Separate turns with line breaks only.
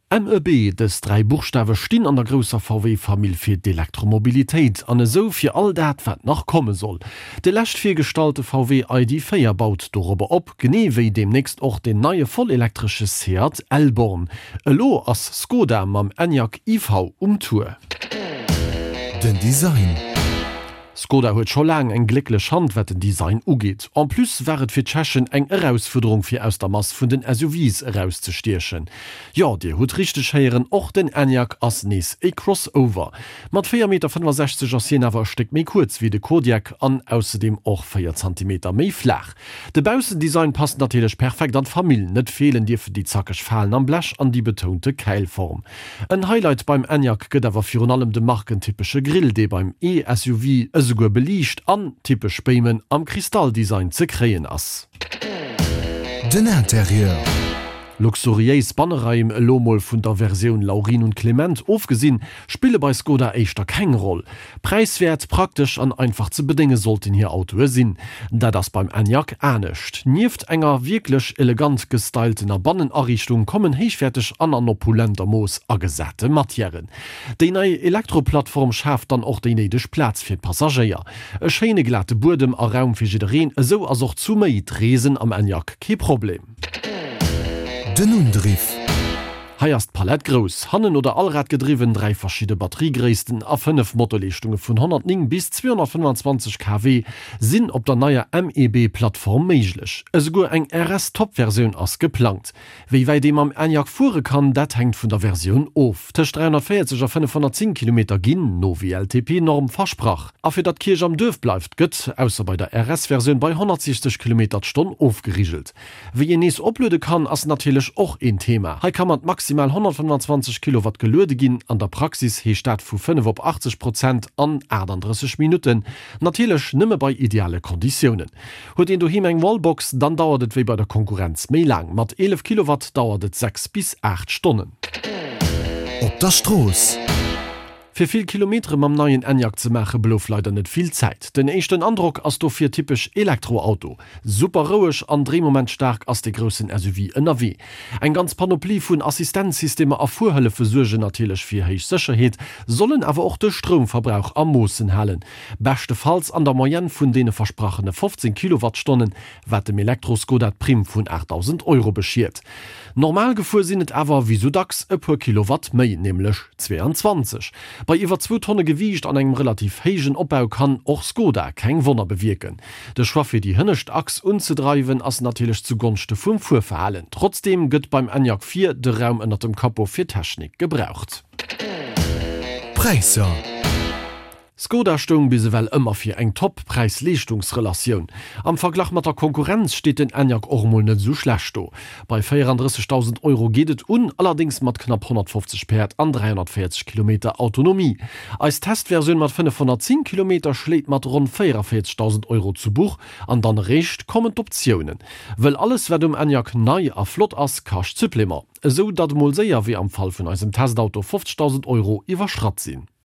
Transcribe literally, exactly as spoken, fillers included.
MEB, dës dräi Buchstawe stinn an der grousser VW-Famill fir d'Elektromobilitéit an esou fir all dat, wat nach komme soll. De lescht virgestallte VW ID véier baut dorobber op, genee wéi deemnächst och den neie vollelektresche Seat Elborn. Elo ass Skoda mam Enyaq iV um Tour.
Den Design.
Skoda huet scho laang eng glécklech Hand wat den Design ugeet. En plus war et fir d'Tschechen eng Erausfuerderung fir aus der Mass vun den S U Vs erauszestiechen. Jo, dir hutt richteg héieren, och den Enyaq ass nees e Crossover. Mat véier Meter fënnefasechzeg ass hien awer e Stéck méi kuerz wéi de Kodiaq an ausserdeem och véier Zantimeter méi flaach. De Baussendesign passt natierlech perfekt an d'Famill, net feelen dierfen déi zackeg Falen am Blech an déi betounte Käilform. En Highlight beim Enyaq gëtt awer virun allem de markentypesche Grill, dee beim E-S U V esouguer beliicht an typesch Béimen am Kristalldesign ze kréien ass.
Den Interieur.
Luxuriéis Banneraim, elo mol vun der Versioun Laurin und Klement ofgesinn, spille bei Skoda éischter keng Roll. Präiswäert, praktesch an einfach ze bedénge sollten hir Autoe sinn. Dat ass beim Enyaq anescht. Nieft enger wierklech elegant gestyltener Bannenariichtung kommen héichwäerteg an an opulenter Mooss agesate Matièren. Déi nei Elektroplattform schaaft dann och déi néideg Plaz fir d'Passagéier. E schéine glate Buedem a Raum fir jiddereen, esou ass och zu méi d'Reesen am Enyaq kee Problem.
Den Undriff.
Hei ass d'Palett grouss, hannen oder allradgedriwwen, dräi verschidde Batteriegréissten a fënnef Motorleeschtunge vun honnertnéng bis zweehonnertfënnfanzwanzeg K W sinn op der neier M E B-Plattform méiglech. Esouguer eng R S-Top-Versioun ass geplangt. Wéi wäit ee mam Enyaq fuere kann, dat hänkt vun der Versioun of. Tëscht dräihonnertvéierzeg a fënnefhonnertzéng Kilometer ginn, no W L T P-Norm, versprach. A fir datt d'Kierch am Duerf bleift, gëtt, ausser bei der R S-Versioun, bei honnertsiechzeg Kilometer d'Stonn ofgerigelt. Wéi een nees opluede kann, ass natierlech och een Thema. Hei ka mat maximal honnertfënnfanzwanzeg Kilowatt geluede ginn, an der Praxis heescht dat vu fënnef op achtzeg Prozent an aachtanddrësseg Minutten, natierlech nëmme bei ideale Konditiounen. Huet een doheem eng Wallbox, dann dauert et wéi bei der Konkurrenz méi laang, mat eelef Kilowatt dauert et sechs bis aacht Stonnen.
Op der Strooss.
Fir vill Kilometere mam neien Enyaq ze maache blouf leider net vill Zäit. Den éischten Androck ass dofir typesch Elektroauto. Super roueg an dréimomentstaark ass de groussen S U V ënnerwee. Eng ganz Panoplie vun Assistenzsystemer a Fuerhëllefe suergen natierlech fir héich Sécherheet, sollen awer och de Stroumverbrauch a Moossen halen. Beschtefalls an der Moyenne vun deene versprachene fofzéng Kilowattstonnen, wat dem Elektro-Skoda d'Primm vun aachtdausend Euro beschiert. Normal gefuer sinn et awer, wéi sou dacks, e puer Kilowatt méi, nämlech zweeanzwanzeg. Bei iwwer zwou Tonne Gewiicht an engem relativ héijen Opbau kann och Skoda keng Wonner bewierken. De Choix fir déi hënnescht Achs unzedreiwen ass natierlech zu Gonschte vum Fuerverhalen. Trotzdeem gëtt beim Enyaq véier de Raum ënnert dem Capot fir Technik gebraucht.
Präisser.
Skoda stoung bis ewell ëmmer fir eng top Präis-Leeschtungsrelatioun. Am Verglach mat der Konkurrenz steet den Enyaq och emol net esou schlecht do. Bei véierandrëssegdausend Euro geet et un, allerdéngs mat knapp honnertfofzeg Päerd an dräihonnertvéierzeg Kilometer Autonomie. Eis Testversioun mat fënnefhonnertzéng Kilometer schléit mat ronn véierandvéierzegdausend Euro zu Buch an dann eréischt kommen d'Optiounen. Wëll alles wat um Enyaq nei a flott ass, kascht Supplément. Esou datt emol séier, wéi am Fall vun eisem Testauto, fofzegdausend Euro iwwerschratt sinn.